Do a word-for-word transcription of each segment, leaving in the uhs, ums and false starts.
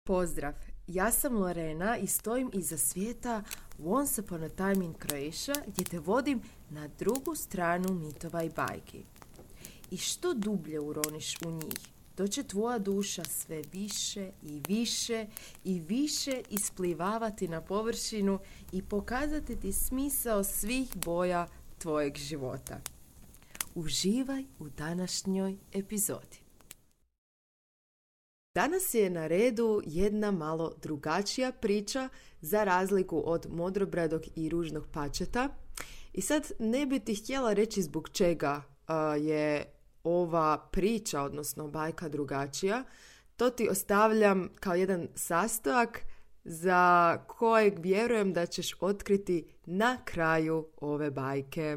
Pozdrav, ja sam Lorena i stojim iza svijeta Once Upon a Time in Croatia gdje te vodim na drugu stranu mitova i bajki. I što dublje uroniš u njih, to će tvoja duša sve više i više i više isplivavati na površinu i pokazati ti smisao svih boja tvojeg života. Uživaj u današnjoj epizodi. Danas je na redu jedna malo drugačija priča za razliku od Modrobradog i Ružnog pačeta. I sad ne bi ti htjela reći zbog čega uh, je ova priča, odnosno bajka, drugačija. To ti ostavljam kao jedan sastojak za kojeg vjerujem da ćeš otkriti na kraju ove bajke.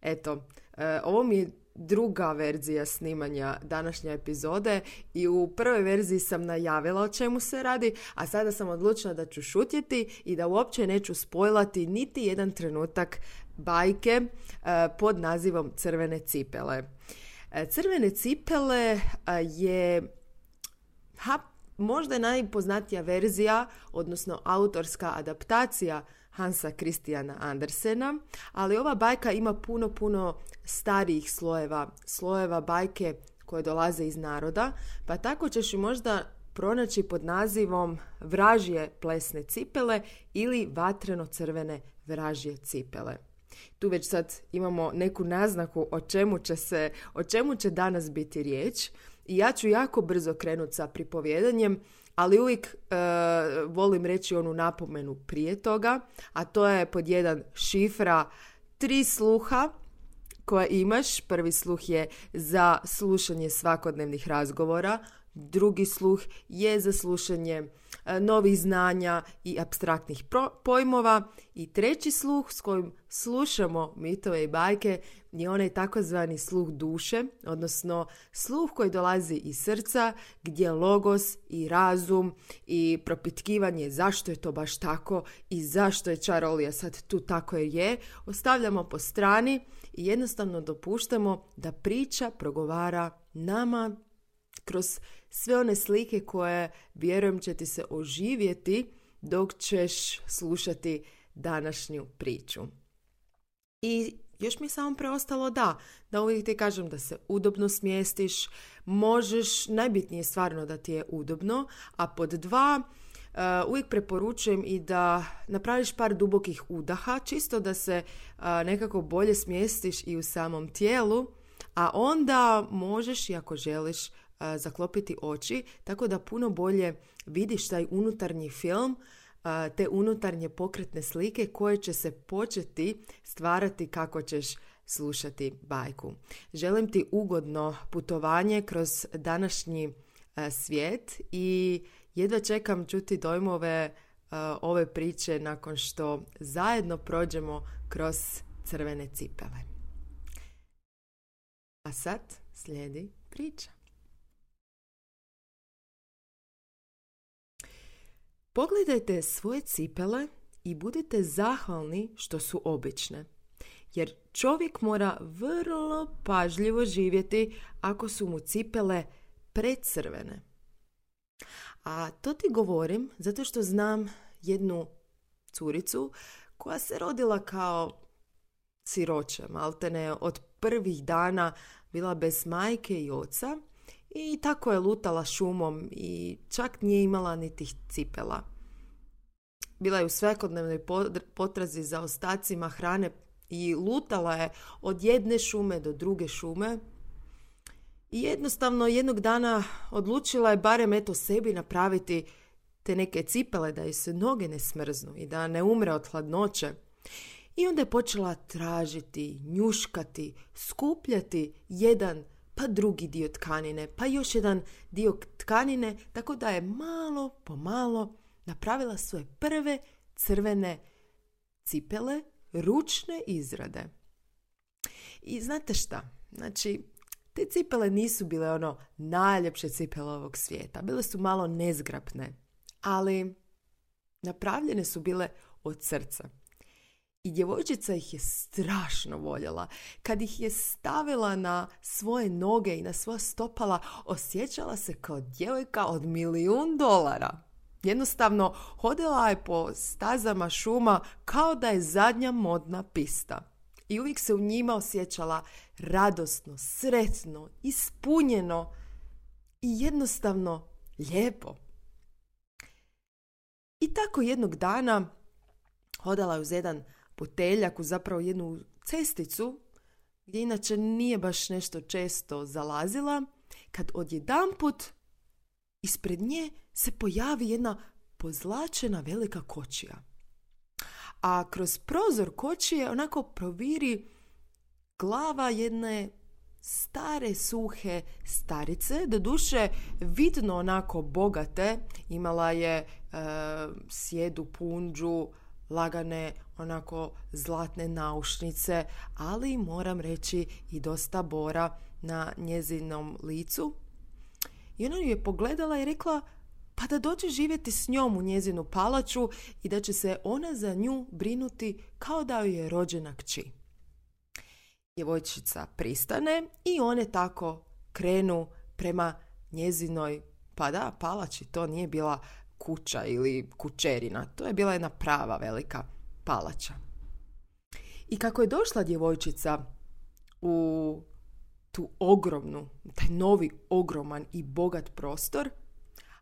Eto, uh, ovo mi je druga verzija snimanja današnje epizode i u prvoj verziji sam najavila o čemu se radi, a sada sam odlučila da ću šutjeti i da uopće neću spojlati niti jedan trenutak bajke uh, pod nazivom Crvene cipele. Uh, Crvene cipele uh, je ha, možda najpoznatija verzija, odnosno autorska adaptacija Hansa Christiana Andersena, ali ova bajka ima puno, puno starijih slojeva, slojeva bajke koje dolaze iz naroda, pa tako ćeš ju možda pronaći pod nazivom Vražje plesne cipele ili Vatreno-crvene vražje cipele. Tu već sad imamo neku naznaku o čemu će se, o čemu će danas biti riječ i ja ću jako brzo krenuti sa pripovjedanjem, ali uvijek e, volim reći onu napomenu prije toga, a to je pod jedan šifra tri sluha koja imaš. Prvi sluh je za slušanje svakodnevnih razgovora, drugi sluh je za slušanje e, novih znanja i apstraktnih pro- pojmova i treći sluh s kojim slušamo mitove i bajke je onaj takozvani sluh duše, odnosno sluh koji dolazi iz srca gdje logos i razum i propitkivanje zašto je to baš tako i zašto je čarolija sad tu tako jer je, ostavljamo po strani i jednostavno dopuštamo da priča progovara nama kroz sve one slike koje, vjerujem, će ti se oživjeti dok ćeš slušati današnju priču. I još mi je samo preostalo da, da uvijek ti kažem da se udobno smjestiš, možeš, najbitnije je stvarno da ti je udobno, a pod dva, uh, uvijek preporučujem i da napraviš par dubokih udaha, čisto da se uh, nekako bolje smjestiš i u samom tijelu, a onda možeš, i ako želiš, zaklopiti oči, tako da puno bolje vidiš taj unutarnji film, te unutarnje pokretne slike koje će se početi stvarati kako ćeš slušati bajku. Želim ti ugodno putovanje kroz današnji svijet i jedva čekam čuti dojmove ove priče nakon što zajedno prođemo kroz Crvene cipele. A sad slijedi priča. Pogledajte svoje cipele i budite zahvalni što su obične, jer čovjek mora vrlo pažljivo živjeti ako su mu cipele precrvene. A to ti govorim zato što znam jednu curicu koja se rodila kao siroče, maltene od prvih dana bila bez majke i oca, i tako je lutala šumom i čak nije imala niti cipela. Bila je u svakodnevnoj potrazi za ostacima hrane i lutala je od jedne šume do druge šume i jednostavno jednog dana odlučila je barem eto sebi napraviti te neke cipele da joj se noge ne smrznu i da ne umre od hladnoće. I onda je počela tražiti, njuškati, skupljati jedan pa drugi dio tkanine, pa još jedan dio tkanine, tako da je malo po malo napravila svoje prve crvene cipele, ručne izrade. I znate šta? Znači, te cipele nisu bile ono najljepše cipele ovog svijeta. Bile su malo nezgrapne, ali napravljene su bile od srca. I djevojčica ih je strašno voljela. Kad ih je stavila na svoje noge i na svoja stopala, osjećala se kao djevojka od milijun dolara. Jednostavno, hodala je po stazama šuma kao da je zadnja modna pista. I uvijek se u njima osjećala radosno, sretno, ispunjeno i jednostavno lijepo. I tako jednog dana hodala je uz jedan puteljak, uz zapravo jednu cesticu, gdje inače nije baš nešto često zalazila, kad odjedanput ispred nje se pojavi jedna pozlačena velika kočija. A kroz prozor kočije onako proviri glava jedne stare, suhe starice, doduše vidno onako bogate, imala je e, sjedu punđu, lagane onako zlatne naušnice, ali moram reći i dosta bora na njezinom licu. I ona ju je pogledala i rekla pa da dođe živjeti s njom u njezinu palaču i da će se ona za nju brinuti kao da joj je rođena kći. Djevojčica pristane i one tako krenu prema njezinoj, pa da, palači, to nije bila kuća ili kućerina, to je bila jedna prava velika palača. I kako je došla djevojčica u tu ogromnu, taj novi ogroman i bogat prostor,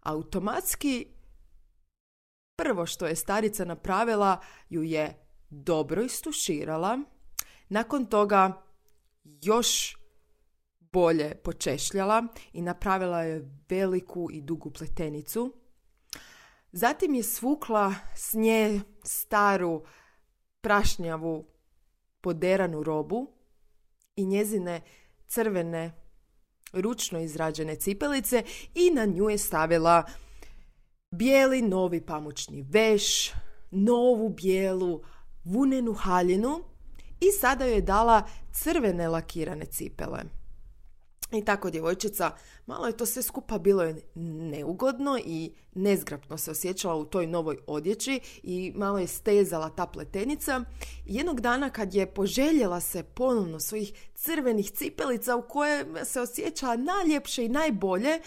automatski prvo što je starica napravila ju je dobro istuširala, nakon toga još bolje počešljala i napravila je veliku i dugu pletenicu. Zatim je svukla s nje staru prašnjavu poderanu robu i njezine crvene ručno izrađene cipelice i na nju je stavila bijeli novi pamučni veš, novu bijelu vunenu haljinu i sada joj je dala crvene lakirane cipele. I tako djevojčica, malo je to sve skupa bilo neugodno i nezgrapno se osjećala u toj novoj odjeći i malo je stezala ta pletenica. Jednog dana kad je poželjela se ponovno svojih crvenih cipelica u koje se osjećala najljepše i najbolje,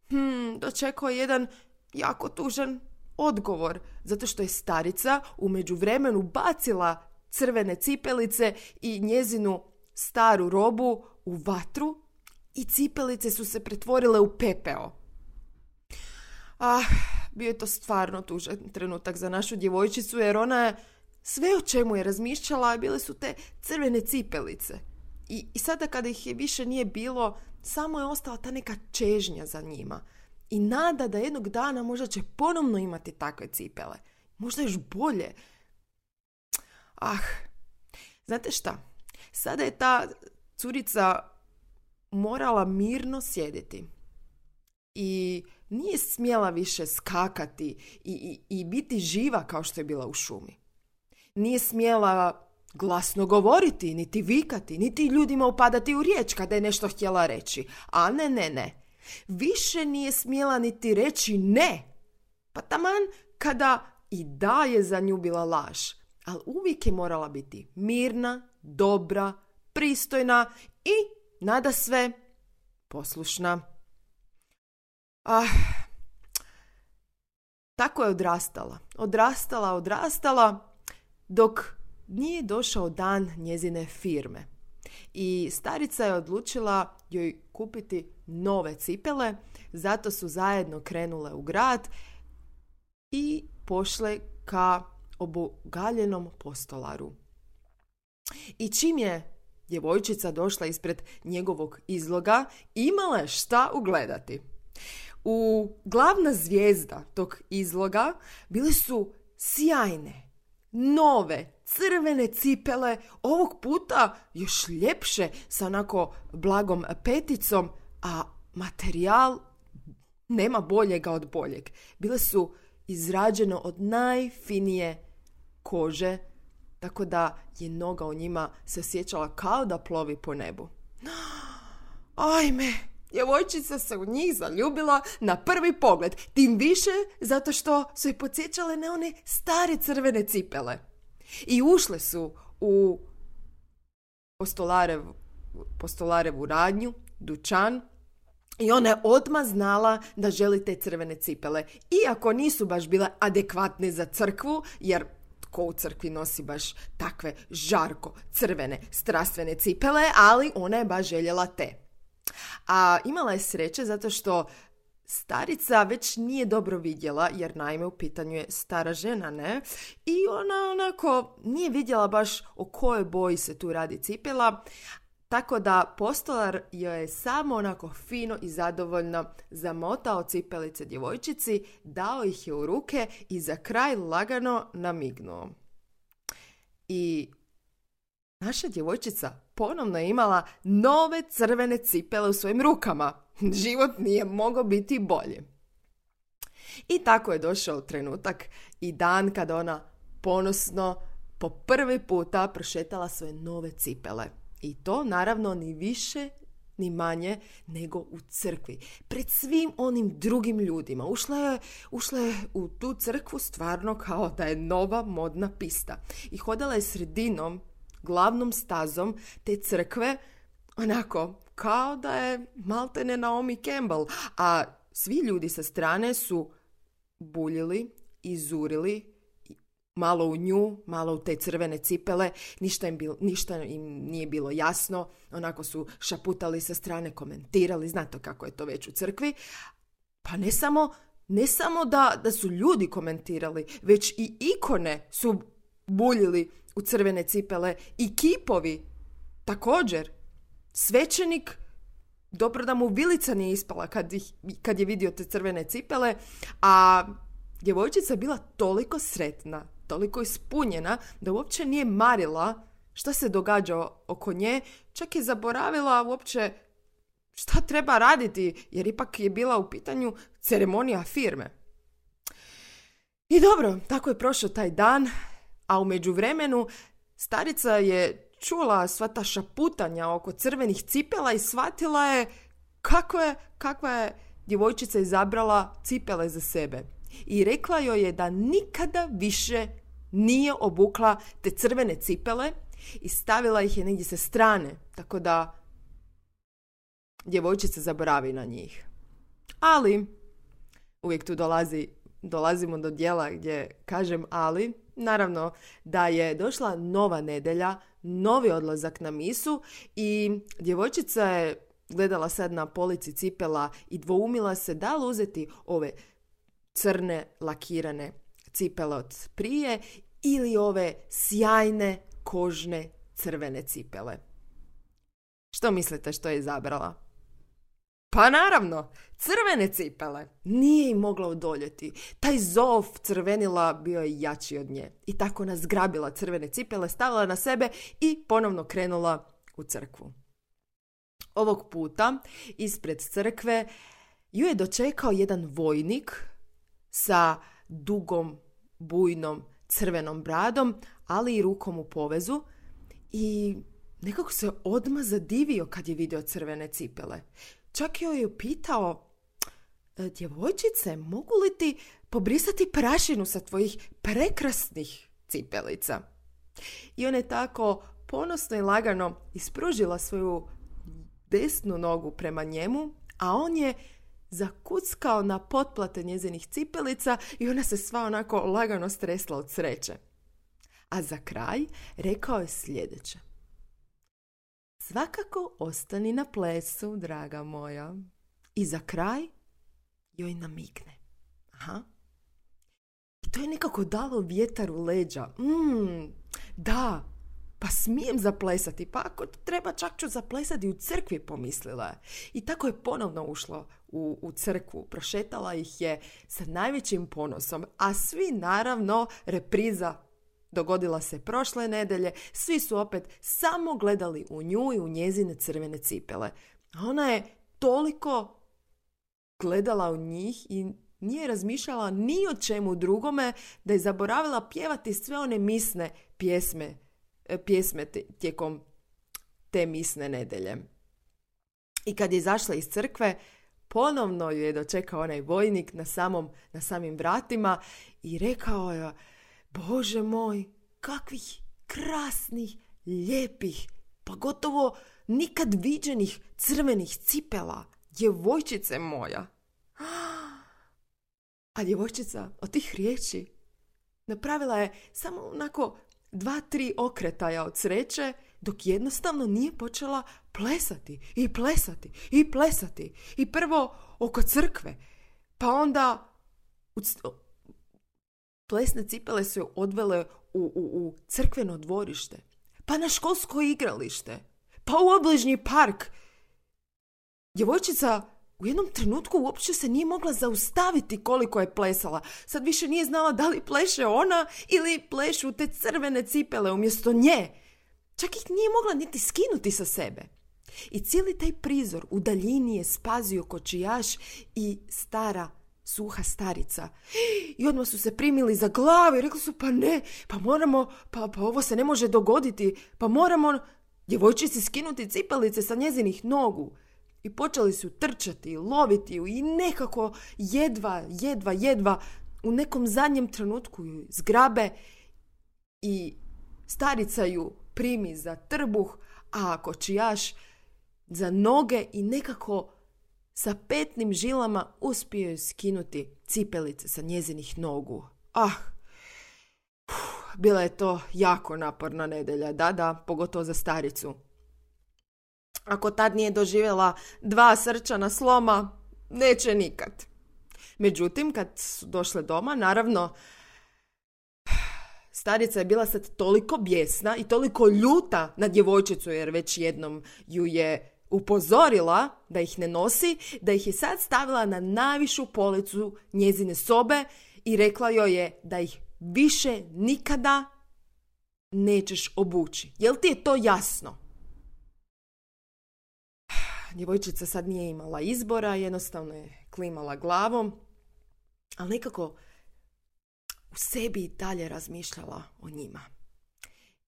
hmm, dočekao je jedan jako tužan odgovor, zato što je starica u međuvremenu bacila crvene cipelice i njezinu staru robu u vatru i cipelice su se pretvorile u pepeo. Ah, bio je to stvarno tužan trenutak za našu djevojčicu, jer ona je sve o čemu je razmišljala bile su te crvene cipelice. I, i sada kada ih je više nije bilo, samo je ostala ta neka čežnja za njima. I nada da jednog dana možda će ponovno imati takve cipele. Možda još bolje. Ah, znate šta? Sada je ta curica morala mirno sjediti. I nije smjela više skakati i, i, i biti živa kao što je bila u šumi. Nije smjela glasno govoriti, niti vikati, niti ljudima upadati u riječ kada je nešto htjela reći. A ne, ne, ne. Više nije smjela niti reći ne. Pa taman kada i da je za nju bila laž. Ali uvijek je morala biti mirna, dobra, pristojna i nada sve poslušna. Ah, tako je odrastala. Odrastala, odrastala, dok nije došao dan njezine firme. I starica je odlučila joj kupiti nove cipele, zato su zajedno krenule u grad i pošle ka obogaljenom postolaru. I čim je djevojčica došla ispred njegovog izloga, imala je šta ugledati. U glavna zvijezda tog izloga bile su sjajne, nove, crvene cipele, ovog puta još ljepše sa onako blagom peticom, a materijal nema boljega od boljeg. Bile su izrađene od najfinije kože, tako da je noga u njima se osjećala kao da plovi po nebu. Ajme, djevojčica se u njih zaljubila na prvi pogled, tim više zato što su je podsjećale na one stare crvene cipele. I ušle su u postolarev, postolarevu radnju, dućan, I ona je odmah znala da želi te crvene cipele. Iako nisu baš bile adekvatne za crkvu, jer tko u crkvi nosi baš takve žarko crvene strastvene cipele, ali ona je baš željela te. A imala je sreće zato što starica već nije dobro vidjela, jer naime u pitanju je stara žena, ne? I ona onako nije vidjela baš o kojoj boji se tu radi cipela, tako da postolar joj je samo onako fino i zadovoljno zamotao cipelice djevojčici, dao ih je u ruke i za kraj lagano namignuo. I naša djevojčica ponovno je imala nove crvene cipele u svojim rukama. Život nije mogao biti bolji. I tako je došao trenutak i dan kada ona ponosno po prvi puta prošetala svoje nove cipele. I to naravno ni više ni manje nego u crkvi. Pred svim onim drugim ljudima. Ušla je, ušla je u tu crkvu stvarno kao da je nova modna pista. I hodala je sredinom, glavnom stazom te crkve, onako kao da je maltene Naomi Campbell. A svi ljudi sa strane su buljili i zurili malo u nju, malo u te crvene cipele, ništa im, bil, ništa im nije bilo jasno, onako su šaputali sa strane, komentirali, znate kako je to već u crkvi. Pa ne samo, ne samo da, da su ljudi komentirali, već i ikone su buljili u crvene cipele i kipovi također. Svećenik, dobro da mu vilica nije ispala kad, ih, kad je vidio te crvene cipele, a djevojčica je bila toliko sretna, toliko ispunjena da uopće nije marila šta se događa oko nje, čak je zaboravila uopće šta treba raditi, jer ipak je bila u pitanju ceremonija firme. I dobro, tako je prošao taj dan, a u međuvremenu starica je čula sva ta šaputanja oko crvenih cipela i shvatila je kako je, kakva je djevojčica izabrala cipele za sebe. I rekla joj je da nikada više nije obukla te crvene cipele i stavila ih je negdje sa strane, tako da djevojčica zaboravi na njih. Ali, uvijek tu dolazi, dolazimo do dijela gdje kažem ali, naravno da je došla nova nedjelja, novi odlazak na misu i djevojčica je gledala sad na polici cipela i dvoumila se da li uzeti ove crne lakirane cipele od prije ili ove sjajne kožne crvene cipele. Što mislite što je izabrala? Pa naravno, crvene cipele. Nije im mogla odoljeti. Taj zov crvenila bio je jači od nje. I tako nas zgrabila crvene cipele, stavila na sebe i ponovno krenula u crkvu. Ovog puta ispred crkve ju je dočekao jedan vojnik sa dugom, bujnom, crvenom bradom, ali i rukom u povezu i nekako se odmah zadivio kad je vidio crvene cipele. Čak joj je pitao, djevojčice, mogu li ti pobrisati prašinu sa tvojih prekrasnih cipelica? I ona je tako ponosno i lagano ispružila svoju desnu nogu prema njemu, a on je zakuckao na potplate njezinih cipelica i ona se sva onako lagano stresla od sreće. A za kraj rekao je sljedeće. Svakako ostani na plesu, draga moja. I za kraj joj namigne. Aha. I to je nekako dalo vjetar u leđa. Mm, da, pa smijem zaplesati. Pa ako treba čak ću zaplesati u crkvi, pomislila je. I tako je ponovno ušla u, u crkvu. Prošetala ih je sa najvećim ponosom. A svi naravno, repriza dogodila se prošle nedelje, svi su opet samo gledali u nju i u njezine crvene cipele. A ona je toliko gledala u njih i nije razmišljala ni o čemu drugome da je zaboravila pjevati sve one misne pjesme, pjesme tijekom te misne nedelje. I kad je izašla iz crkve, ponovno ju je dočekao onaj vojnik na, samom, na samim vratima i rekao je: Bože moj, kakvih krasnih, lijepih, pa gotovo nikad viđenih crvenih cipela. djevojčice moja. A djevojčica od tih riječi napravila je samo onako dva, tri okretaja od sreće, dok jednostavno nije počela plesati i plesati i plesati. I prvo oko crkve, pa onda u c- plesne cipele su je odvele u, u, u crkveno dvorište, pa na školsko igralište, pa u obližnji park. Djevojčica u jednom trenutku uopće se nije mogla zaustaviti koliko je plesala. Sad više nije znala da li pleše ona ili plešu te crvene cipele umjesto nje. Čak ih nije mogla niti skinuti sa sebe. I cijeli taj prizor u daljini je spazio kočijaš i stara suha starica. I odmah su se primili za glavu i rekli su, pa ne, pa moramo, pa, pa ovo se ne može dogoditi, pa moramo djevojčici skinuti cipelice sa njezinih nogu. I počeli su trčati i loviti ju i nekako jedva, jedva, jedva u nekom zadnjem trenutku ju zgrabe i starica ju primi za trbuh, a kočijaš za noge i nekako sa petnim žilama uspio je skinuti cipelice sa njezinih nogu. Ah, uf, bila je to jako naporna nedjelja, da, da, pogotovo za staricu. Ako tad nije doživjela dva srčana sloma, neće nikad. Međutim, kad su došle doma, naravno, starica je bila sad toliko bijesna i toliko ljuta na djevojčicu, jer već jednom ju je upozorila da ih ne nosi, da ih je sad stavila na najvišu policu njezine sobe i rekla joj je da ih više nikada nećeš obući. Jel ti je to jasno? Djevojčica sad nije imala izbora, jednostavno je klimala glavom, ali nekako u sebi i dalje razmišljala o njima.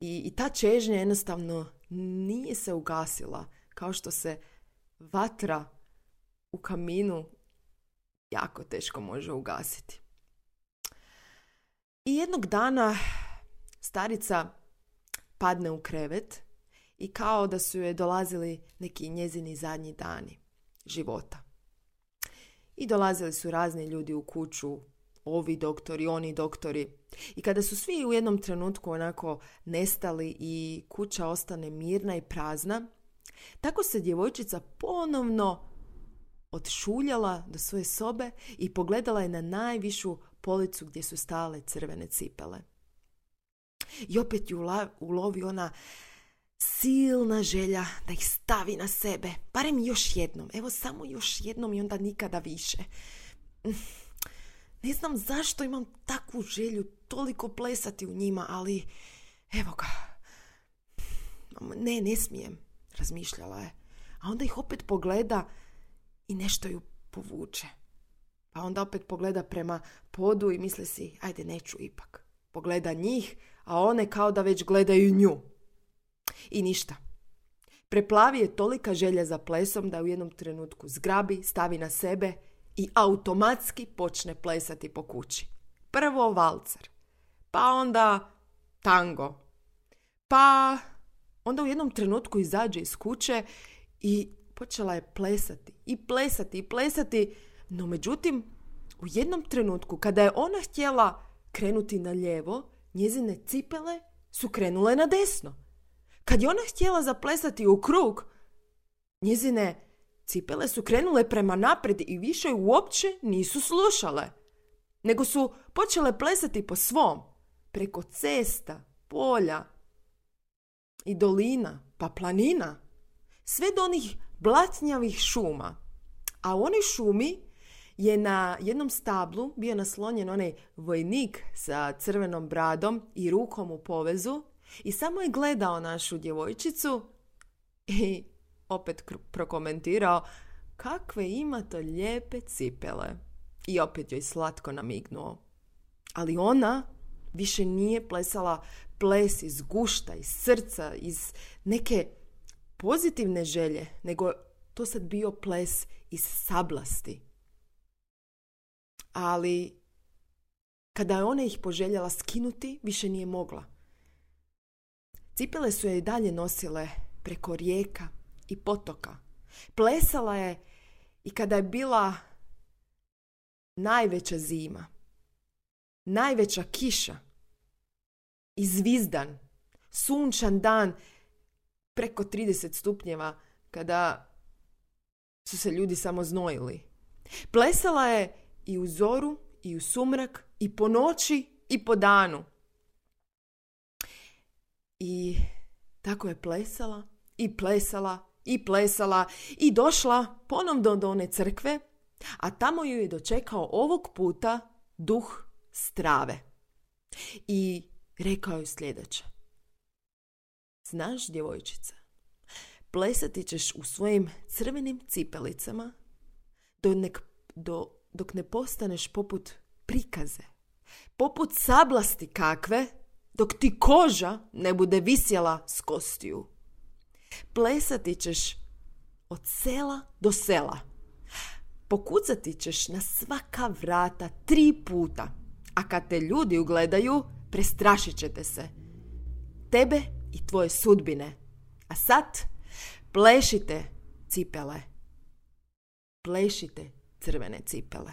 I, i ta čežnja jednostavno nije se ugasila, kao što se vatra u kaminu jako teško može ugasiti. I jednog dana starica padne u krevet i kao da su joj dolazili neki njezini zadnji dani života. I dolazili su razni ljudi u kuću, ovi doktori, oni doktori. I kada su svi u jednom trenutku onako nestali i kuća ostane mirna i prazna, tako se djevojčica ponovno odšuljala do svoje sobe i pogledala je na najvišu policu gdje su stale crvene cipele. I opet ju ulovi ona silna želja da ih stavi na sebe, barem još jednom, evo samo još jednom i onda nikada više. Ne znam zašto imam takvu želju toliko plesati u njima, ali evo ga, ne, ne smijem, razmišljala je. A onda ih opet pogleda i nešto ju povuče. Pa onda opet pogleda prema podu i misli si, ajde neću ipak. Pogleda njih, a one kao da već gledaju nju. I ništa. Preplavi je tolika želja za plesom da u jednom trenutku zgrabi, stavi na sebe i automatski počne plesati po kući. Prvo valcer, pa onda tango, pa onda u jednom trenutku izađe iz kuće i počela je plesati i plesati i plesati, no međutim u jednom trenutku kada je ona htjela krenuti na lijevo, njezine cipele su krenule na desno. Kad je ona htjela zaplesati u krug, njezine cipele su krenule prema naprijed i više uopće nisu slušale, nego su počele plesati po svom, preko cesta, polja i dolina, pa planina, sve do onih blatnjavih šuma. A u onoj šumi je na jednom stablu bio naslonjen onaj vojnik sa crvenom bradom i rukom u povezu i samo je gledao našu djevojčicu i opet prokomentirao kakve ima to lijepe cipele. I opet joj slatko namignuo. Ali ona više nije plesala ples iz gušta, iz srca, iz neke pozitivne želje, nego to sad bio ples iz sablasti. Ali kada je ona ih poželjela skinuti, više nije mogla. Cipele su je i dalje nosile preko rijeka i potoka. Plesala je I kada je bila najveća zima, najveća kiša i zvizdan, sunčan dan preko trideset stupnjeva, kada su se ljudi samo znojili. Plesala je i u zoru, i u sumrak, i po noći, i po danu. I tako je plesala, i plesala, i plesala, i došla ponovno do one crkve, a tamo ju je dočekao ovog puta duh strave. I rekao je sljedeće. Znaš, djevojčica, plesati ćeš u svojim crvenim cipelicama do nek, do, dok ne postaneš poput prikaze, poput sablasti kakve, dok ti koža ne bude visjela s kostiju. Plesati ćeš od sela do sela. Pokucati ćeš na svaka vrata tri puta, a kad te ljudi ugledaju, prestrašit ćete se. Tebe i tvoje sudbine. A sad plešite cipele. Plešite crvene cipele.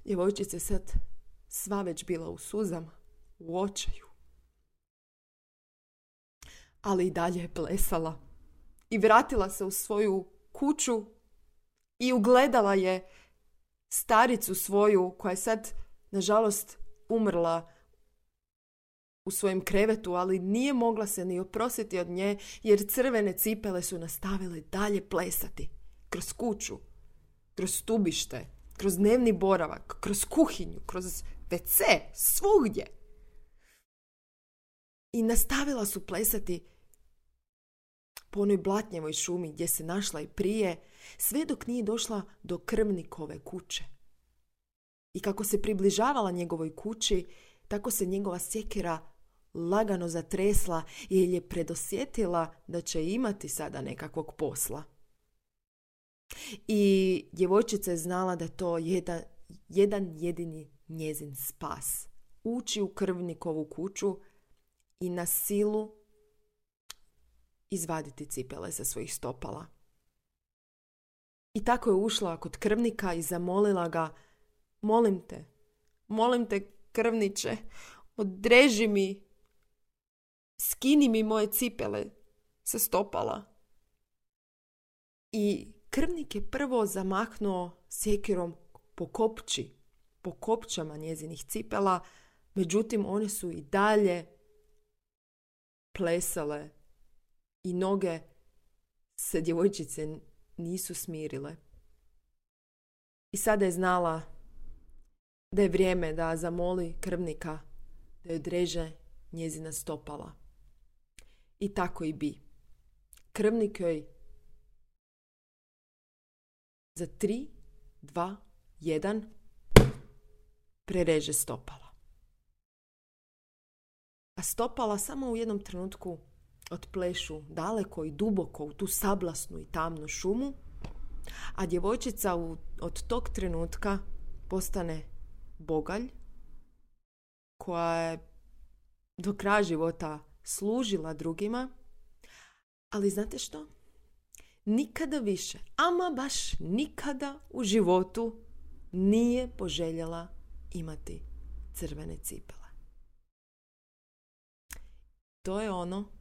Djevojčica je sad sva već bila u suzama, u očaju. Ali i dalje je plesala. I vratila se u svoju kuću i ugledala je staricu svoju, koja je sad, nažalost, umrla u svojem krevetu, ali nije mogla se ni oprostiti od nje, jer crvene cipele su nastavile dalje plesati kroz kuću, kroz stubište, kroz dnevni boravak, kroz kuhinju, kroz ve ce, svugdje. I nastavila su plesati po onoj blatnjevoj šumi gdje se našla i prije, sve dok nije došla do krvnikove kuće. I kako se približavala njegovoj kući, tako se njegova sjekira lagano zatresla, jer je predosjetila da će imati sada nekakvog posla. I djevojčica je znala da je to jedan, jedan jedini njezin spas. Ući u krvnikovu kuću i na silu izvaditi cipele sa svojih stopala. I tako je ušla kod krvnika i zamolila ga: molim te, molim te, krvniče, odreži mi, skini mi moje cipele sa stopala. I krvnik je prvo zamahnuo sjekirom po kopči, po kopčama njezinih cipela, međutim one su i dalje plesale i noge se djevojčice nisu smirile. I sada je znala da je vrijeme da zamoli krvnika da joj odreže njezina stopala. I tako i bi. Krvnik joj za tri, dva, jedan prereže stopala. A stopala samo u jednom trenutku otplešu daleko i duboko u tu sablasnu i tamnu šumu, a djevojčica u, od tog trenutka postane bogalj koja je do kraja života služila drugima, ali znate što? Nikada više, ama baš nikada u životu nije poželjela imati crvene cipele. To je ono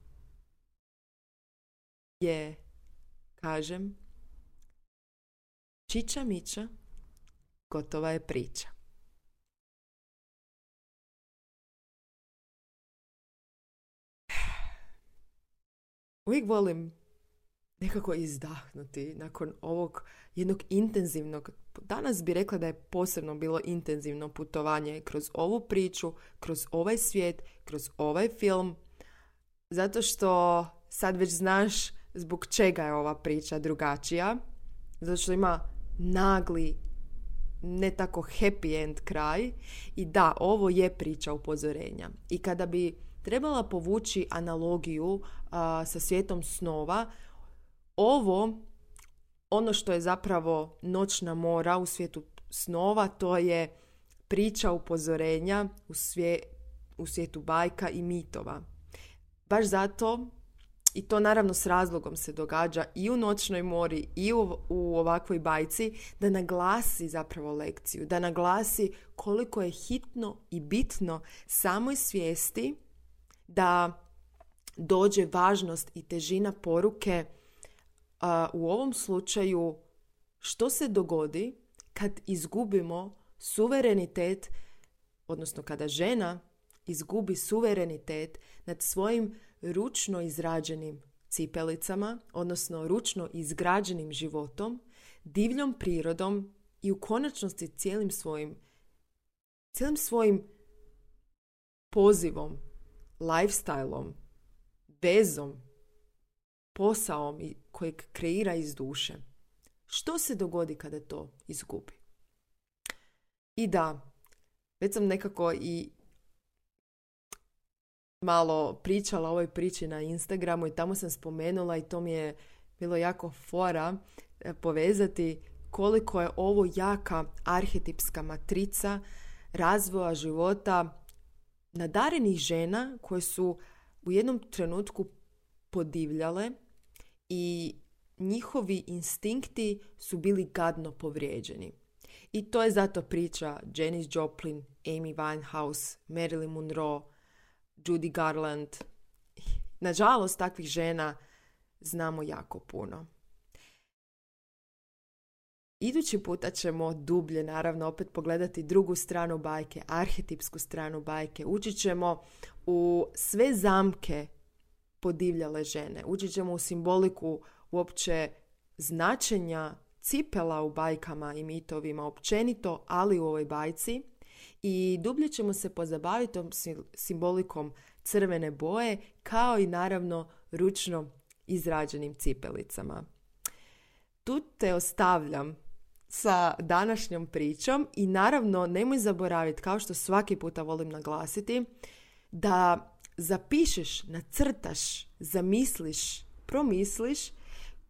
je, kažem, čiča miča, gotova je priča. Uvijek volim nekako izdahnuti nakon ovog jednog intenzivnog, danas bi rekla da je posebno bilo intenzivno putovanje kroz ovu priču, kroz ovaj svijet, kroz ovaj film, zato što sad već znaš zbog čega je ova priča drugačija, zato što ima nagli, ne tako happy end kraj. I da, ovo je priča upozorenja. I kada bi trebala povući analogiju a, sa svijetom snova, ovo, ono što je zapravo noćna mora u svijetu snova, to je priča upozorenja u, svije, u svijetu bajka i mitova. Baš zato i to naravno s razlogom se događa i u Noćnoj mori i u, u ovakvoj bajci, da naglasi zapravo lekciju, da naglasi koliko je hitno i bitno samoj svijesti da dođe važnost i težina poruke uh, u ovom slučaju što se dogodi kad izgubimo suverenitet, odnosno kada žena izgubi suverenitet nad svojim ručno izrađenim cipelicama, odnosno ručno izgrađenim životom, divljom prirodom i u konačnosti cijelim svojim, cijelim svojim pozivom, lifestyleom, vezom, posaom kojeg kreira iz duše. Što se dogodi kada to izgubi? I da, već sam nekako i malo pričala o ovoj priči na Instagramu i tamo sam spomenula i to mi je bilo jako fora povezati koliko je ovo jaka arhetipska matrica razvoja života nadarenih žena koje su u jednom trenutku podivljale i njihovi instinkti su bili gadno povrijeđeni. I to je zato priča Janis Joplin, Amy Winehouse, Marilyn Monroe, Judy Garland. Nažalost, takvih žena znamo jako puno. Idući puta ćemo dublje, naravno, opet pogledati drugu stranu bajke, arhetipsku stranu bajke. Ući ćemo u sve zamke podivljale žene. Ući ćemo u simboliku uopće značenja cipela u bajkama i mitovima općenito, ali u ovoj bajci. I dublje ćemo se pozabaviti tom simbolikom crvene boje, kao i naravno ručno izrađenim cipelicama. Tu te ostavljam sa današnjom pričom i naravno nemoj zaboraviti, kao što svaki puta volim naglasiti, da zapišeš, nacrtaš, zamisliš, promisliš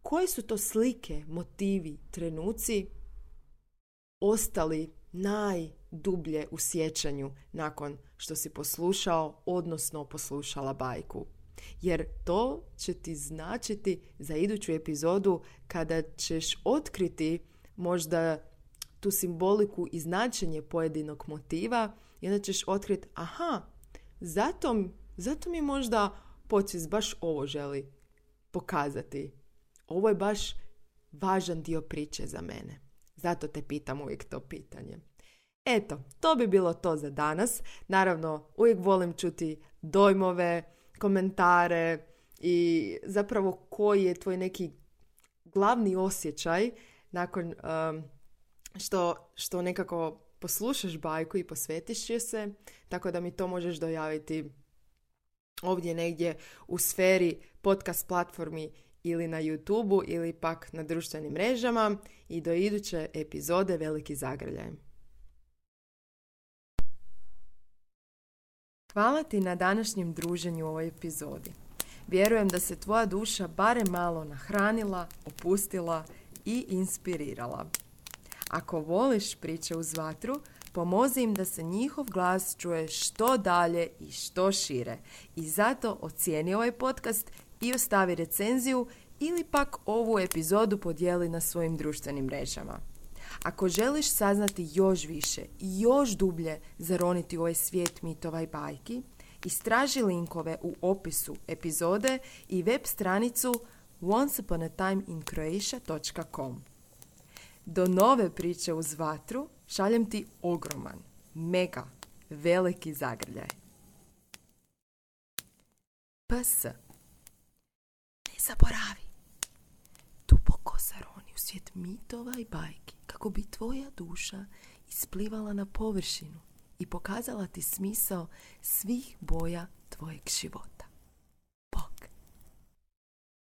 koje su to slike, motivi, trenuci ostali najdublje u sjećanju nakon što si poslušao, odnosno poslušala bajku. Jer to će ti značiti za iduću epizodu kada ćeš otkriti možda tu simboliku i značenje pojedinog motiva i onda ćeš otkriti, aha, zato, zato mi možda podsvijest baš ovo želi pokazati. Ovo je baš važan dio priče za mene. Zato te pitam uvijek to pitanje. Eto, to bi bilo to za danas. Naravno, uvijek volim čuti dojmove, komentare i zapravo koji je tvoj neki glavni osjećaj nakon um, što, što nekako poslušaš bajku i posvetiš joj se, tako da mi to možeš dojaviti ovdje negdje u sferi podcast platformi ili na YouTubeu ili pak na društvenim mrežama i do iduće epizode Veliki zagrljaj. Hvala ti na današnjem druženju u ovoj epizodi. Vjerujem da se tvoja duša barem malo nahranila, opustila i inspirirala. Ako voliš priče uz vatru, pomozi im da se njihov glas čuje što dalje i što šire. I zato ocijeni ovaj podcast i ostavi recenziju ili pak ovu epizodu podijeli na svojim društvenim mrežama. Ako želiš saznati još više i još dublje zaroniti u ovaj svijet mitova i bajki, istraži linkove u opisu epizode i web stranicu once upon a time in croatia dot com. Do nove priče uz vatru šaljem ti ogroman, mega, veliki zagrljaj. P S. Ne zaboravi. Duboko zaroni u svijet mitova i bajki kako bi tvoja duša isplivala na površinu i pokazala ti smisao svih boja tvojeg života.